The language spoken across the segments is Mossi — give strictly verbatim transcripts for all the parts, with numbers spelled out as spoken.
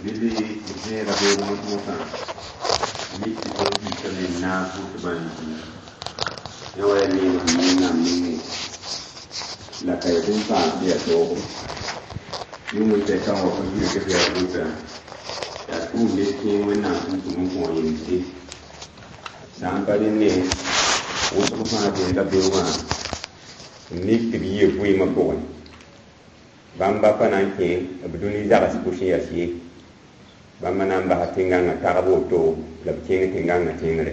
Rɩle d vẽega beoog mos-mosã mik tɩ tõnd piisame n naag vʋʋtbã n zĩig yã wa yaa neem sẽn Wẽnnaam nengẽ la ka yaa bũmb fãa sẽn yaa toogo yʋng n tɛka wã fo yɩ tɩ f yaa vʋʋtã yaa tʋʋmd d kẽeg Wẽnnaam sẽn tʋm n kõ yemse sã n pa rẽnne wʋsg fãa vẽega beoogã n mik tɩ b yɩa vɩɩmã pʋgẽ bãmba pa na n kẽ b dũni zags pʋs n yas ye bãmba na n basa tẽn-gãngã tagb woto la b kẽng tẽn-gãngã tẽngre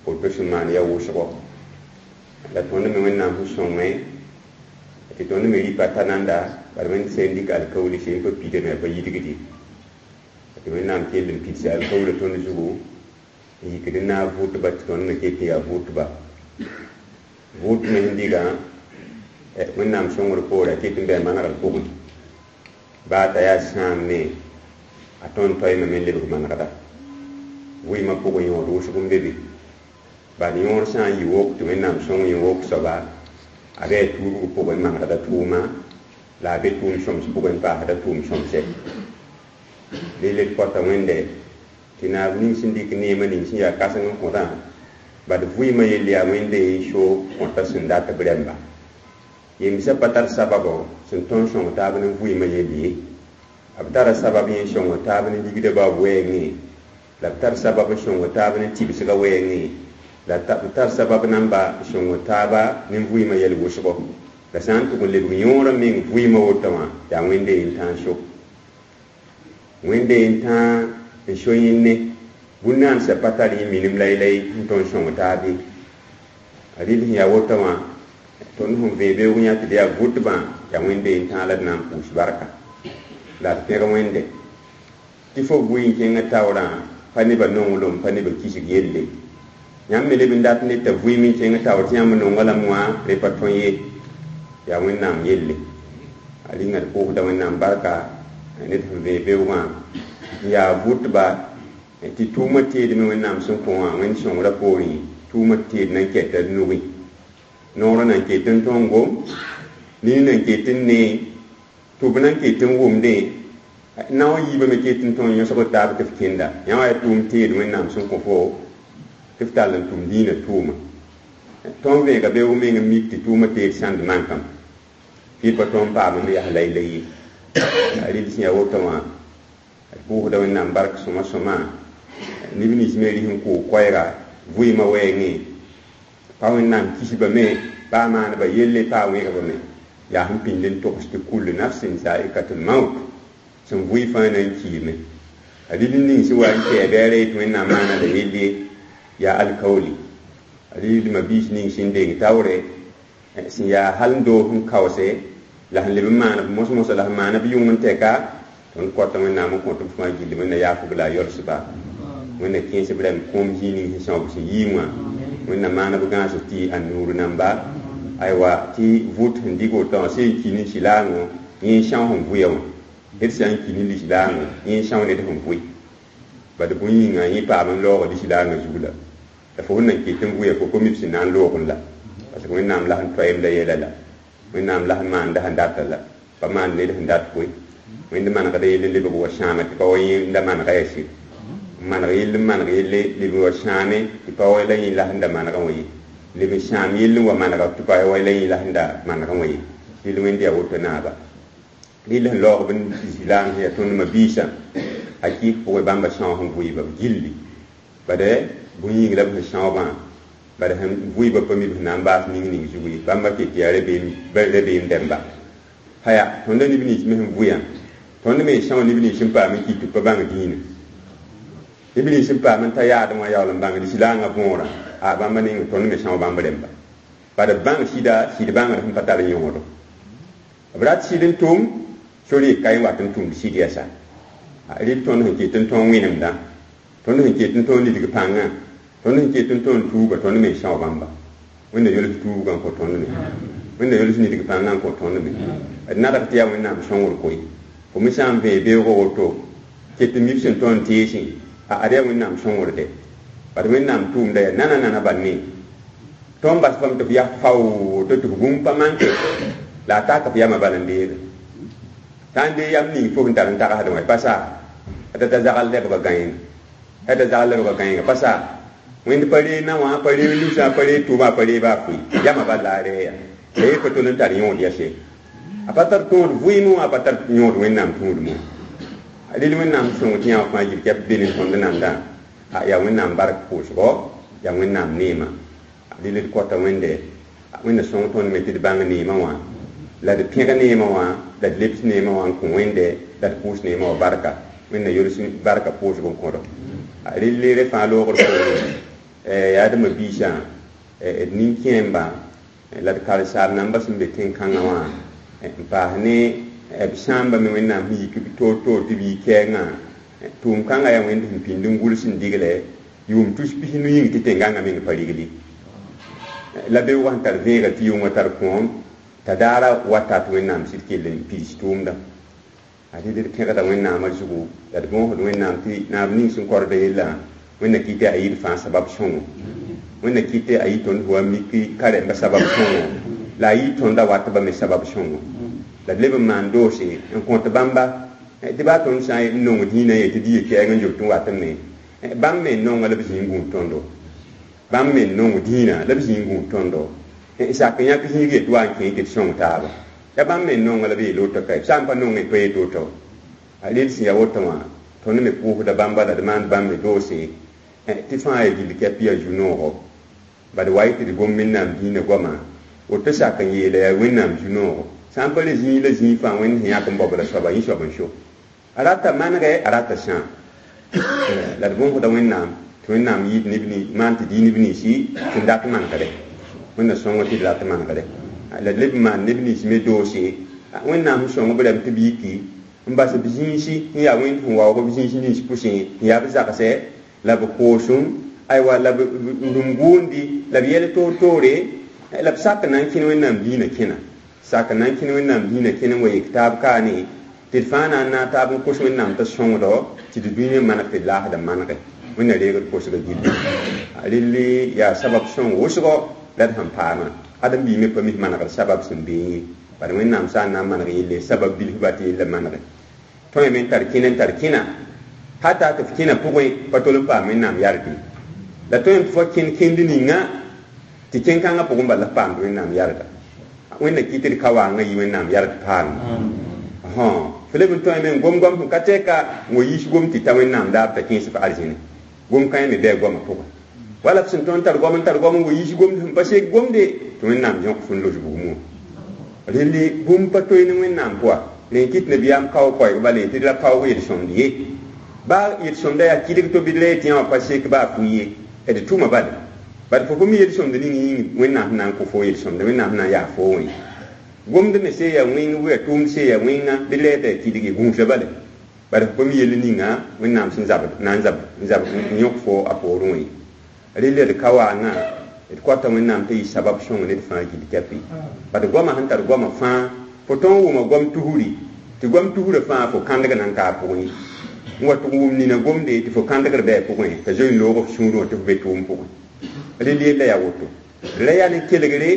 woto sẽn maan yaa wʋsgo la tõnd me Wẽnnaam sẽn sõngẽ tɩ tõnd me rɩpa ta nanda bala Wẽnd sẽn dɩk alkaooli sẽn pa pidame a pa yidgd ye tɩ Wẽnnaam kell n pidsa alkaoolã tõnd zugu n yikd n naag vʋʋtba tɩ tõnd me ket n yaa vʋʋtba vʋʋt me sẽn dɩgã Wẽnnaam sõngr poore a ket n bɩ a manegr pʋgẽ baa t'a yaa sãam me a tõnd toeeme me n lebg manegda vɩɩmã pʋgẽ yõod wʋsg n be be bad yõor sã n yɩ wok tɩ Wẽnnaam sõng yẽ wok soaba a bɩ a tuubg pʋgẽ manegda tʋʋma la a be tʋʋm sõms pʋgẽ n paasda tʋʋm sõmsɛ rel d kõta Wẽnde tɩ naab ning sẽn dɩk neemã ning sẽn yaa kãseng n kõtã bad vɩɩmã yell yaa Wẽnde n so kõta sẽn dat b rẽmba yemsã pa tar sababo sẽn tõnd sõng taab ne vɩɩmã yell ye b tara sabab yẽ sõng taab ne ligdã baob wɛɛngẽ la b tar sabab n sõng taab ne tɩbsgã wɛɛngẽ la b tar sabab namba sõng taaba ne vɩɩmã yɛl wʋsgo la sã n tʋg n lebg yõorã meng vɩɩmã woto wã yaa Wẽnde n tãag so Wẽnde n tãag n so yẽnne bũn-naansã pa tar yẽ minim laylay n tõnd sõng taab ye a rɩl sẽn yaa woto wã tõnd sẽn vẽe beoog yã tɩ d yaa vʋtbã yaa Wẽnde n tãag la d na n pʋʋs barka la d pẽg Wẽnde tɩ fo bʋɩ n kẽngã taoorã pa nebã nonglem pa nebã kisg yelle yãmb me leb n dat ned t'a vɩɩm n kẽng taoor tɩ yãmb nonga lame wã re pa tõe ye yaa Wẽnnaam yelle a rĩnga d pʋʋsda Wẽnnaam barka ned sẽn vẽe beoogã n yaa vʋtba tɩ tʋʋmã teedme Wẽnnaam sẽn kõ wã Wẽnd sõngrã poorẽ tʋʋmã teed nan kɛta d nugẽ noorã nan ket n tõngo nini nan ket n nee tʋb nan ket n wʋmdẽ nao yiibã me ket n tõe n yõsg taab tɩ f kẽnda yã wa yaa tʋʋm teed Wẽnnaam sẽn kõ fo tɩ f tall n tʋm dĩinã tʋʋma tõnd vẽega beoog meng n mik tɩ tʋʋmã teed sãnd mankam tɩ pa tõnd paam n yas laylay ye a rɩl sẽn yaa woto wã d pʋʋsda Wẽnnaam bark sõma sõma neb nins me rɩs n kʋʋg koɛɛga vɩɩmã wɛɛngẽ pa Wẽnnaam kisba me pa a maanba yelle pa a wẽgba me yaa sẽn pĩnd n togs tɩ kull nafsin zaikatul maut sẽn vʋɩ fãa na n kiime a rɩl ning sẽn wa n kɛɛ bɩ a ree tɩ Wẽnnaam maana la yelle yaa alkaooli a rɩldmã biis ning sẽn deng taoore sẽn yaa hal n doos n kaoose la sẽn leb n maan b mos-mosa la sẽn maana b yʋng n tɛka tõnd kõta Wẽnnaam n kõt b fãa gilli Wẽnna yaafb la a yolsba Wẽnna kẽes b rãmb kõom zĩig ning sẽn sõab sẽn yii wã Wẽnna maan b gãas tɩ a nuur namba aywa tɩ vʋt sẽn dɩk woto wã sẽn ki ne sɩlaangõ yẽ n são sẽn vʋya wã ned sã n ki ne lislaangõ yẽ n são ned sẽn vʋɩ bad bõe yĩnga yẽ paam n laoog lislaangã zug la la fo sẽn nan ket n vʋya fo pa mi b sẽn na n loogẽ la parce que Wẽnnaam la sẽn toeemda yɛla la Wẽnnaam la sẽn maanda sẽn data la pa maan ned sẽn dat koe Wẽnd manegda yell n lebg wa sãame tɩ pa wa yẽnda manega yaa sɩd n maneg yell n maneg yelle leb n wa sãame tɩ pa wa la yẽ la sẽn da manegã wã ye leb n sãam yell n wa manega tɩ pa wa la yẽ la sẽn da manegã wã ye rɩl Wẽnd yaa woto naaba rɩl sẽn laoog b zilaang sẽn yaa tõnd ma-biisã hakɩɩk pʋgẽ bãmba são sẽn vʋɩɩba b gilli bad bõe yĩng la b sẽn sãoobã bad sẽn vʋɩɩba pa mi b sẽn na n baas ning ning zug ye bãmba ket yaa rabeem dẽmba haya tõnda neb nins me sẽn vʋyã tõnd me n são neb nins sẽn paam n kɩt tɩ b pa bãng dĩinã neb nins sẽn paam n ta yaadem wã yaool n bãng lislaangã võorã a bãmba ning tõnd me são bãmb rẽmba bad b bãng sɩda sɩd bãngr sẽn pa tar yõodo b rat sɩd n tʋm sor yik ka yẽ wat n tʋmd sɩd yɛsa rɩl tõnd sẽn ket n tõog wẽnemdã tõnd sẽn ket n tõog nidg pãngã tõnd sẽn ket n tõnd tuuga tõnd me n são bãmba Wẽnna yols tuubgã n kõ tõnd me Wẽnna yols nidg pãngã n kõ tõnd me d nadg tɩ yaa Wẽnnaam sõngr koe fo me sã n vẽe beoogã woto ket n mib sẽn tõnd teesẽ ad yaa Wẽnnaam sõngr de bad Wẽnnaam tʋʋmda yaa nana nana bal ne tõnd bas fam tɩ f yaa fao tɩ f bũmb pa manke la a taka f yamã bal n deege sã n dee yam ning fo sẽn tar n tagsdẽ wã pa saa t'a ta zagal lebga gãenga t'a zagal lebga gãenga pa sa wẽnd pa ree na wã pa ree lusã pa ree tʋʋma pa ree baa pʋɩ yamã bal la a reeya la yee pa tol n tar yõod yase a pa tar tõod vɩɩmẽ wã a pa tar yõod wẽnnaam tũudmẽ wã rel wẽnnaam sõng tɩ yã wã fãa yil kɛp be ne tõnd nandã yaa wẽnnaam bark pʋʋsgɔ yaa wẽnnaam neema rel d kɔta wẽnde wẽnna sõng tõnd me tɩ d bãng neemã wã la d pẽg neemã wã la d lebs neemã wã n kõ wẽnde la d pʋʋs neemã wã barka wẽnna yols barka pʋʋsg n kõdo rel re fãa loogr poore yaa d ma-biisã d nin-kẽemba la d karen-saam namba sẽn be tẽn-kãngã wã n paas ne b sãamba me wẽnnaam sẽn yik toor-toor tɩ b yi kɛɛngã tʋʋm kãngã yaa wẽnd sẽn pĩnd n gʋls n digle yʋʋm tus pis-nu yĩng tɩ tẽn-gãngã meng pa rigli la beoogã sẽn tar vẽegr tɩ yʋngã tar kõom t'a daara wata tɩ wẽnnaam sɩd kell n piis tʋʋmda a rɩd d pẽgda wẽnnaamã zugu la d bõosd wẽnnaam tɩ naab ning sẽn korda yellã wẽnna kɩ tɩ a yɩɩd fãa sabab sõngo wẽnna kɩ tɩ a yɩ tõnd wa mik karemba sabab sõngo la a yɩ tõnda watba me sabab sõngo la d leb n maan doose n kõt bãmba tɩ baa tõnd sã n nong dĩinã ye tɩ d yɩ kɛɛng n zoet n wat n me bãmb me n nonga la b zĩig gũud tõndo bãmb me n nong dĩinã la b zĩig gũud tõndo sak n yãk zĩig yet wa n kẽ tɩ d sõng taaba ya bãmb me n nonga la b yeel woto ka sã n pa nongẽ pa yet woto a rel sẽn ya woto wã tõnd me pʋʋsda bãmba la d maand bãmb me doose tɩ fãa ya gill kɛp yaa zu-noogo bad wa y tɩ d gom wẽnnaam dĩinã goama woto sak n yeela yaa wẽnnaam zu-noogo sã n pa le zĩig la zĩig fãa wẽnd sẽn yãk n baob la soaba yẽ soab n so a rata manegɛ a rata sãam la d bõosda wẽnnaam tɩ wẽnnaam yɩɩd neb maan tɩ dɩ neb ninsi sẽn dat manegre wẽnna sõngo tɩ d rat manegre la d leb n maan neb nins me doose wẽnnaam sẽn sõng b rɛm tɩ b yiki n bas b zĩisi n yaa wẽnd sẽn waoog b zĩis nins pʋsẽ n yaa b zagsɛ la b koosem aywa la b rũm gʋʋndi la b yɛl toor-toore la b sak n na n kẽn wẽnnaam dĩinã kẽna sak n na n kẽn wẽnnaam dĩinã kẽn n wa yek taab kaane tɩ d fãa na n naag taab n kos wẽnnaam t'a sõngdo tɩ d dũniyã maneg tɩ d laasda manege wẽnna reegd kosga gilli rel yaa sabab sõng wʋsgo la d sẽn paamã ãdem-biig me pa mis manegd sabab sẽn beẽ ye bala wẽnnaam sã n na n maneg yelle sabab bilf ba tɩ yella manege tõe me n tar kẽna n tar kẽna hata tɩ f kẽna pʋgẽ pa tol n paam wẽnnaam yard ye la tõe tɩ fo kẽnd kẽnd ninga tɩ kẽn-kãngã pʋgẽ bala f paamd wẽnnaam yarda wẽnna kɩ tɩ d ka waangã yɩ wẽnnaam yard paalem f leb n tõe me n gom goam sẽn ka tɛka n wa yiis gom tɩ ta wẽnnaam daab t'a kẽes f arzẽne gom kãe me bɩ a goamã pʋgẽ wala f sẽn tõnd tar goam n tar goam n wa yiis gomd sẽn pa sek gomde tɩ wẽnnaam yõk fo n los bugmã relle bũmb pa toe ne wẽnnaam pʋga rẽ kɩt nabiyaam kao koɛɛg bala tɩ d ra paoog yel-sõmd ye baa yel-sõmda yaa kɩdg to bɩ d ra yetɩ yã wã pa sek baa fʋ ye d tʋma bala bad fo fo mi yel-sõmd ning yĩng wẽnnaam sẽn na n kõ fo yel-sõmda wẽnnaam sẽn na n yaa fo wẽ gomd me se yaa wẽng bɩ yaa tʋʋmd se yaa wẽnga bɩ d ra yeta yaa kɩdg ye gũusa bala bad fo pa mi yell ninga wẽnnaam sẽn zabd na n zab n zab n yõk fo a poorẽ wẽ rel d ka waangã d kɔta wẽnnaam tɩ yɩ sabab sõng ned fãa gill kɛpɩ bad goamã sẽn tar goamã fãa fo tõog n wʋma goam tusri tɩ goam tusrã fãa fo kãndg na n ka a pʋgẽ n wa tʋg wʋm nina gomde tɩ fo kãndgr bɩ a pʋgẽ t'a zoe n loog f sũurẽ wã tɩ fo be tʋʋm pʋgẽ rel yella yaa woto d ra yaa ne kelgre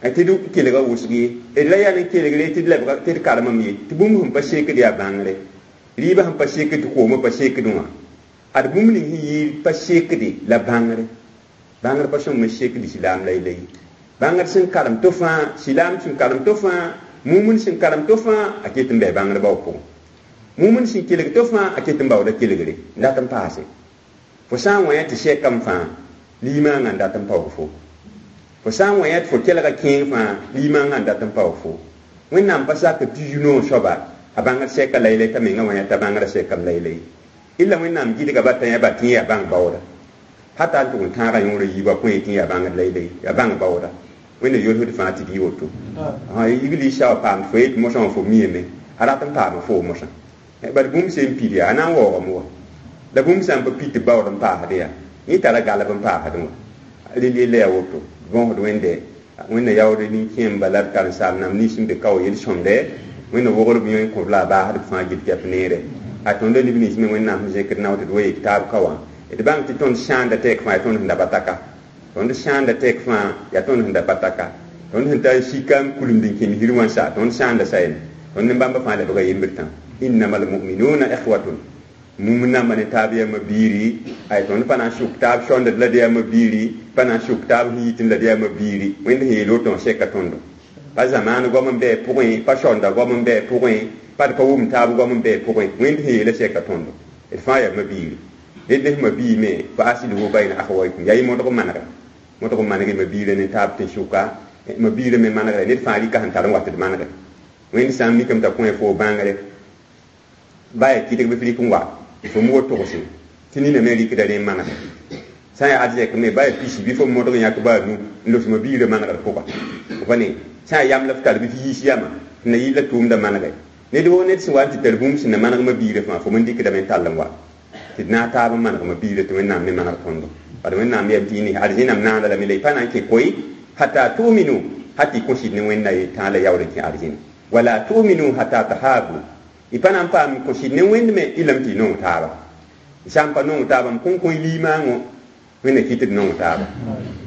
tɩ d kelga wʋsg ye d ra yaa ne kelgre tɩ d lebga tɩ d karemame ye tɩ bũmb sẽn pa sekd yaa bãngre rɩɩbã sẽn pa sekd tɩ koomã pa sekd wã ad bũmb ning sẽn yɩɩd pa sekde la bãngre bãngr pa sõng me sekd silaam la la ye bãngr sẽn karem to fãa silaam sẽn karem to fãa mumn sẽn karem to fãa a ket n bɩ bãngr bao pʋgẽ mumn sẽn kelg to fãa a ket n baooda kelgre n dat n paase fo sã n wã tɩ sɛkame fãa limaangã n dat n paoog fo fo sã n wã tɩ fo kelga kẽeng fãa limaangã n dat n paoog fo wẽnnaam pa sak tɩ zu-noog soaba a bãngr sɛka laylay t'a menga wã t'a bãngrã sɛkame laylay illa wẽnnaam gɩdga ba tã yaa ba tɩ yaa bãng baooda hata n tʋg n tãagã yõorã yiibã kõ tɩ yaa bãngd laylay yaa bãng baooda wẽnna yolsd fãa tɩ d yɩ woto yigl sa wa paamd fo yet mosã wã fo miame a rat n paama fo mosã bad bũmb sẽn pid yaa a na n waoogame wa la bũmb sã n pa pid tɩ baood n paasd yaa yẽ tara galb n paasd wã rel yella yaa woto bõosd wẽnde wẽnna yaood nin-kẽemba la d karen-saam namba nins n be kao yel-sõmde wẽnna wogr b yõ n kõb la a baasd b fãa gill kɛp neere a tõnda neb nins me wẽnnaam sẽn zẽkd nao tɩ d wa yek taab ka wã d bãng tɩ tõnd sãanda tɛk fãa yaa tõnd sẽn da bataka tõnd sãanda tɛk fãa yaa tõnd sẽn da bataka tõnd sẽn tar sika n kulemd n kẽ misir wã sa tõnd sãanda sayem tõnd ne bãmba fãa lebga yembr tã innama almuminuna ikhwatun Mum namba ne taab yaa mabiiri ay tõnd pa na n sʋk taab sõndd la d yaa mabiiri pa na n sʋk taab sẽn yitẽ la d yaa mabiiri wẽnd sẽn yeel woto n seka tõndo pa zamaan goam n bɩ pʋgẽ pa sõnda goam n bɩ pʋgẽ pa d pa wʋm taab goam n bɩ pʋgẽ wẽnd sẽn yeela seka tõndo d fãa yaa mabiiri ned ne mabii me fa aslihu bayna akhawaykum yaa y modg manegre modg maneg mabiirã ne taab tɩ sʋka mabiirã me manegre ned fãa rɩka sẽn tar n wat d manegre wẽnd sã n mikame t'a kõ fo bãngre ba yaa kɩdg bɩ f rɩk n wa fo mo togse tɩ nina me rɩkda rẽ n manegre sã n yaa arzɛk me ba yaa pisi bɩ fo modg n yãk baa nu n los mabiirã manegr pʋga fa ne sã n yaa yam la f tar bɩ f yiis yama tɩ na yɩ la tʋʋmda manegre ned woo ned sẽn wa n tɩ tar bũmb sẽn na maneg mabiirã fãa fo me dɩkdame n tall n wa tɩ d na n taab n maneg mabiirã tɩ Wẽnnaam me maneg tõndo bad Wẽnnaam yam tɩ y arzẽnam naanda lame la y pa na n kẽ koe hata tuminu hata y kõ sɩd ne Wẽnna ye tãa la yaool n kẽ arzẽna wala tuminu hata tahabu y pa na n paam kõ sɩd ne Wẽnd me y lame tɩ y nong taaba y sã n pa nong taaba m kõn kõ y limaangõ Wẽnna kɩt d nong taaba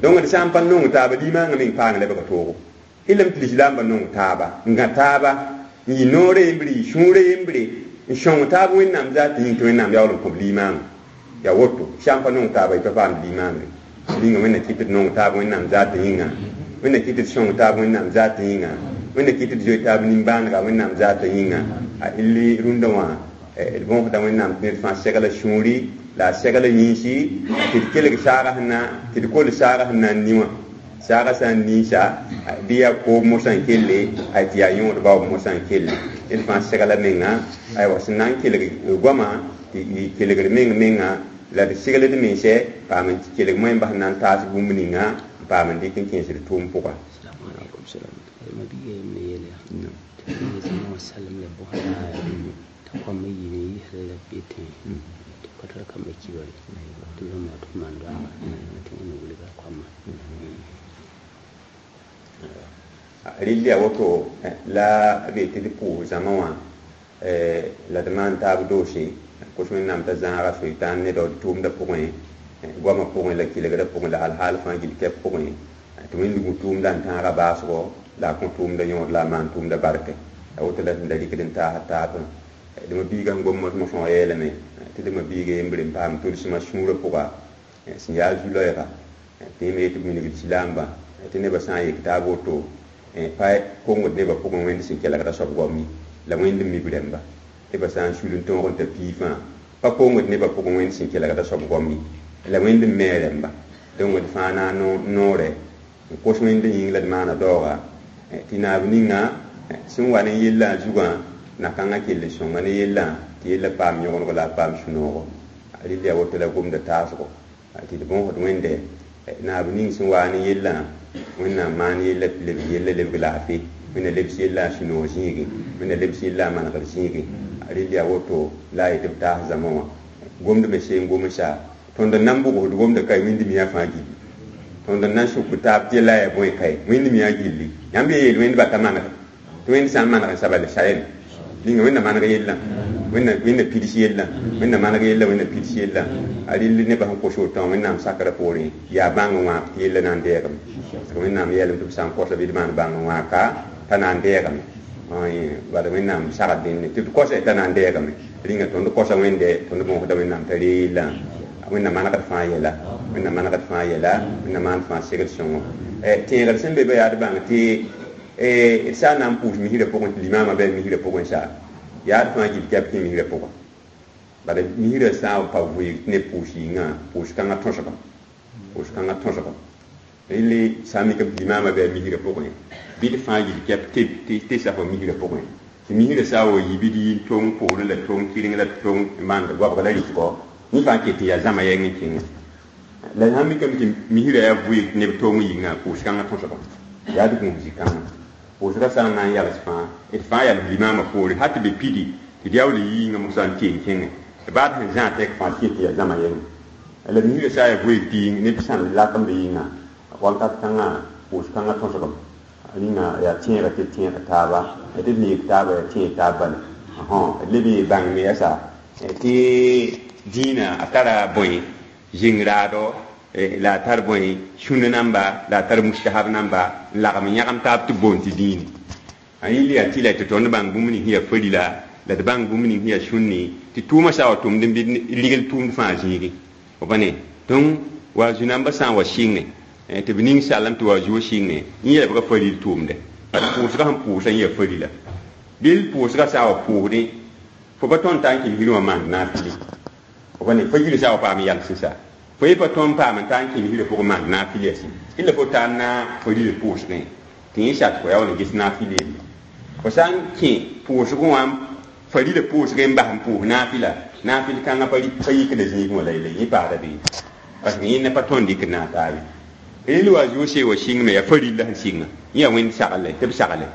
donc d sã n pa nong taaba limaangã meng paang lebga toogo y lame tɩ lislaambã nong taaba n gã taaba n yɩ noorã yembre yɩ sũurã yembre n sõng taab Wẽnnaam zaat yĩng tɩ Wẽnnaam yaool n kõb limaangã yaa woto sã n pa nong taaba y pa paamd limaangre ninga Wẽnna kɩt d nong taab Wẽnnaam zaat yĩnga Wẽnna kɩt d sõng taab Wẽnnaam zaat yĩnga Wẽnna kɩt d zoe taab nimbãanega Wẽnnaam zaat yĩnga a illi rũndã wã d bõosda Wẽnnaam tɩ ned fãa segla sũuri la a segla yĩnsi tɩ d kelg saaga sẽn na tɩ d kol saaga sẽn na n ni wã saaga sã n niisa bɩ yaa koob mosã n kelle ay tɩ yaa yõod baoob mosã n kelle ned fãa segla menga aywa sẽn na n kelg goama tɩ y kelgr meng menga la d segl d mensɛ paam n kelg moẽmba sẽn na n taas bũmb ninga n paam n dɩk n kẽesd tʋʋm pʋga mabiiga yembre yeel yaa tɩ wã salem la bõsda t'a koamba yiime yisra la b yetẽ tɩ pa tar kamba kibare tɩ rãmba tɩ maan doaga tɩ Wẽnna wilga koamba rɩll yaa woto la b yetɩ d pʋʋs zãma wã la d maan taab doose kos Wẽnnaam t'a zãaga soitan ne daood tʋʋmdã pʋgẽ goamã pʋgẽ la kelgrã pʋgẽ la alhaal fãa gill kɛp pʋgẽ tɩ wẽnd gũ tʋʋmdã n tãaga baasgo la a kõ tʋʋmdã yõod la a maan tʋʋmdã barke a woto la sẽn da rɩkd n taas taab d mabiiga sẽn gom mosmosã wã yeelame tɩ d mabiiga yembre n paam tʋlsmã sũurã pʋga sẽn yaa zu-loɛɛga tɩ yẽme yetɩ b wilgd silaambã tɩ nebã sã n yek taab woto pa kongd nebã pʋgẽ wẽnd sẽn kelgda soab goam ye la wẽnd n mib rẽmba nebã sã n sul n tõog n ta pii fãa pa kongd nebã pʋgẽ wẽnd sẽn kelgda soab goam ye la wẽnd n me rẽmba donc d fãa na n noore n kos wẽnd yĩng la d maana daooga tɩ naab ninga sẽn wa ne yellã zugã na-kãngã kell n sõnga ne yellã tɩ yellã paam yõgengo la a paam sũ-noogo rɩl yaa woto la gomda taasgo tɩ d bõosd wẽnde naab ning sẽn waa ne yellã Wẽnnaam maan yella tɩ lebg yella lebg laafɩ Wẽnna lebs yella a sũ-noog zĩigẽ Wẽnna lebs yella a manegr zĩigẽ rɩl yaa woto la a yetɩ b taas zãma wã gomd me seen gomsa tõnd n na n bʋgsd gomda kae wĩnd miã fãa gilli tõnd n na n sʋk taab tɩ yella yaa bõe kae wẽnd miã gilli yãmb ye yeel wẽnd bata manegre tɩ wẽnd sã n maneg n sabal sayem ninga Wẽnna maneg yellã wẽnna wẽnna pids yellã Wẽnna maneg yella Wẽnna pids yellã a rɩll nebã sẽn kos woto wã Wẽnnaam sakrã poorẽ yaa bãng n wãak tɩ yella na n deegame parce que Wẽnnaam yeelame tɩ b sã n kosa bɩ d maan bãng n wãaka t'a na n deegame bala Wẽnnaam sagd dẽnne tɩ d kosa t'a na n deegame rĩnga tõnd kosa wẽnde tõnd bõosda Wẽnnaam t'a ree yellã Wẽnna manegd fãa yɛla Wẽnna manegd fãa yɛla Wẽnna maan fãa segd sõngo tẽegr sẽn be ba yaa d bãng tɩ d sã n na n pʋʋs misrã pʋgẽ tɩ limaamã bɩ misrã pʋgẽ sa yaa d fãa gill kɛp kẽ misrã pʋga bala misrã sã n pa vɩɩg tɩ neb pʋʋs yĩngã pʋʋs kãngã tõsga pʋʋs kãngã tõsga rɩle sã n mikame tɩ limaamã bɩ misrã pʋgẽ bɩ d fãa gill kɛp tɩ safa misrã pʋgẽ tɩ misrã sã n wa yi bɩ d yi tong poorẽ la tong kɩreng la tong maand goabg la rɩtgɔ yẽ fãa ket tɩ yaa zãma yɛng n kẽngẽ la sã n mikame tɩ misrã yaa vɩɩg tɩ neb tong yĩngã pʋʋs kãngã tõsga yaa d gũus zĩ-kãngã pʋʋsgã sã n na n yals fãa d fãa yals limaamã poore hal tɩ be pidi tɩ d yaool yiingã mosã n tɩ n kẽngẽ tɩ baad sẽn zã tɛk fãa tɩ tɩ yaa zãma yɛngẽ la misrã sã n yaa vɩɩg tɩ yĩng neb sãn lak n be yĩnga wakat kãngã pʋʋs kãngã tõsgame rĩnga yaa tẽega tɩ tẽeg taaba tɩ d neeg taaba yaa tẽeg taab bala d leb ye bãng me yasa tɩ dĩinã a tara bõe zĩng-raado la a tar bõe sũna namba la a tar mustahab namba n lagm yãgem taab tɩ boond tɩ dĩine a yĩl yaa tɩ la tɩ tõnd bãng bũmb ning sẽn yaa farila la d bãng bũmb ning sẽn yaa sũnni tɩ tʋʋmã sa wa tʋmd n bɩ ligl tʋʋmd fãa zĩigi fo pa ne donc wa zu-nambã sã n wa sɩnge tɩ b ning salem tɩ wa zuo sɩnge yẽ yɛlbga faril tʋʋmde bad pʋʋsgã sẽn pʋʋsã yẽ yaa farila dɩl pʋʋsgã sã wa pʋʋsdẽ fo pa tõnd t'a n kɩs hirẽ wã maand naafili fo pa ne fo yir sã wa paam yals sã fo ye pa tõnd paam n ta n kɩs hirã pʋgẽ maand naafili yɛsẽ illa fo taa na farila pʋʋsgẽ tɩ yẽ sat fo yaa wala ges naafili yelle fo sã n kẽ pʋʋsgẽ wã farila pʋʋsgẽ n bas n pʋʋs naafila naafil kãngã pa yikda zĩigẽ wã la yelle yẽ paada bee parce que yẽnda pa tõnd dɩk na taabe rel wa zuo see wa sɩng me yaa farilla sẽn sɩnga yẽ yaa wẽnd sagle tɩ b sagle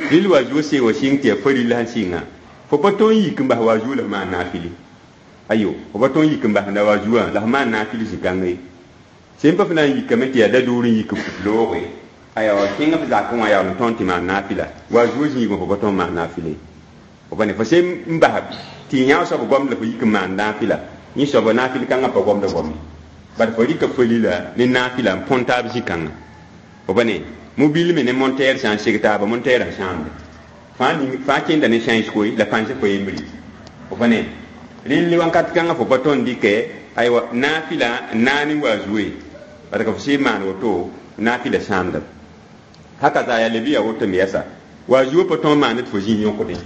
rel wa zuo see wa sɩng tɩ yaa farilla sẽn sɩnga fo pa tõnd yik n bas wa zuo la f maan naafili ayo fo pa tõnd yik n bas la wa zuã la f maan naafili zĩ-kãngã ye sẽn pa f na n yikame tɩ yaa da-door n yik f looge aya kẽng f zakẽ wã yaa n tõnd tɩ maan naafila wa zuo zĩigẽ fo pa tõnd maan naafili fo pa ne fo sẽn n bas tɩ yã soab goamd la fo yik n maan naafila yẽ soaba naafil kãngã pa goamda goame bad fo rɩka farila ne naafila n põn taab zĩ-kãngã fo pa ne mobil me ne monteer sã n seg taaba monteerã sãamde fãa kẽnda ne sãens koe la pãnsa fo yembre fo pa ne relle wãnkat kãngã fo pa tõnd dɩkɛ aywa naafila n naane wa zuoe parce que fo sẽn maan woto naafila sãamda haka za yaa leb yaa woto me yɛsa wa zuo pa tõnd maand tɩ fo zĩ yõkdẽ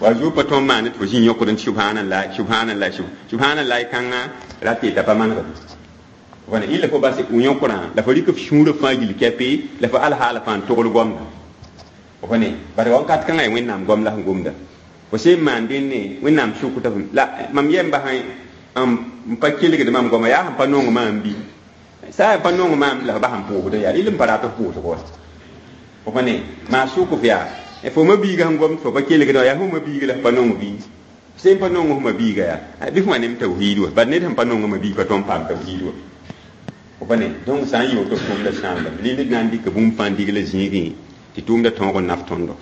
wa zuo pa tõnd maand tɩ fo zĩ yõkdẽ subhanallah subhanallah subhanallah kãngã ra tɩ pa manegd wala illa fo bas yõkrã la fo rɩk f sũurã fãa gill kɛpɩ la fo alhaala fãa n togl goamda fo ne bare wãnkat kãngã yaa wẽnnaam goam la sẽn gomda fo sẽn maan dẽnne wẽnnaam sʋkta f la mam yɛm basã n pa kelgd mam goama yaa sẽn pa nong maam bɩ sã n pa nong maam la f bas n pʋʋsdẽ yaa rɩl n pa rat f pʋʋsg wa fo pa ne maa sʋk f yaa fo ma-biigã sẽn gomd fo pa kelgdã yaa fo ma-biiga la f pa nong bɩ sẽn pa nong f ma-biiga yaa bɩ f wã nem tawhiid wa bad ned sẽn pa nong ma-biig pa tõnd paam tawhiid wa fo pa ne donc sã n yɩ woto tʋʋmda sãamda rɩl d na n dɩka bũmb fãa n digla zĩigẽ tɩ tʋʋmda tõog n naf tõndo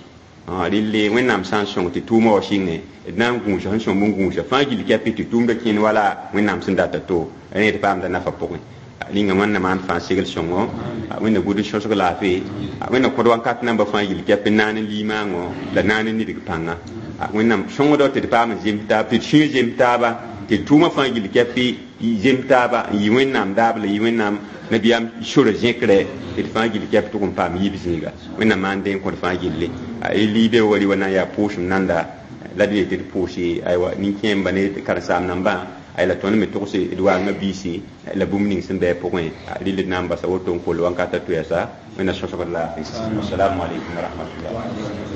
rɩlle wẽnnaam sã n sõng tɩ tʋʋmã wa sɩngẽ d na n gũusa sẽn sõmb n gũusa fãa gill kɛpɩ tɩ tʋʋmda kẽnd wala wẽnnaam sẽn data to rẽ d paamda nafa pʋgẽ ninga wẽnna maan fãa segl sõngo wẽnna gʋd n sõsg laafɩ wẽnna kõd wãnkat namba fãa gill kɛp n naan n liimaangõ la naan n nidg pãnga wẽnnaam sõngdɔ tɩ d paam n zems taab tɩ d sũyã zems taaba tɩ d tʋʋmã fãa gill kɛpɩ zems taaba n yɩ wẽnnaam daab la yɩ wẽnnaam nabiyaam sora zẽkrɛ tɩ d fãa gill kɛp tʋg n paam yib zĩiga wẽnnaam maan dẽ n kõd fãa gilli liibe wa rɩ wa na n yaa pʋʋsem nanda la d yetɩ d pʋʋse aywa nin-kẽemba ne karen-saam nambã ay la tõnd me togse d waangã biisi la bũmb ning sẽn bɩ pʋgẽ rɩl d na n basa woto n koll wãnkata tʋ yɛsa wẽnna sõsgd laafɩ assalamu alaikum wa rahmatullah.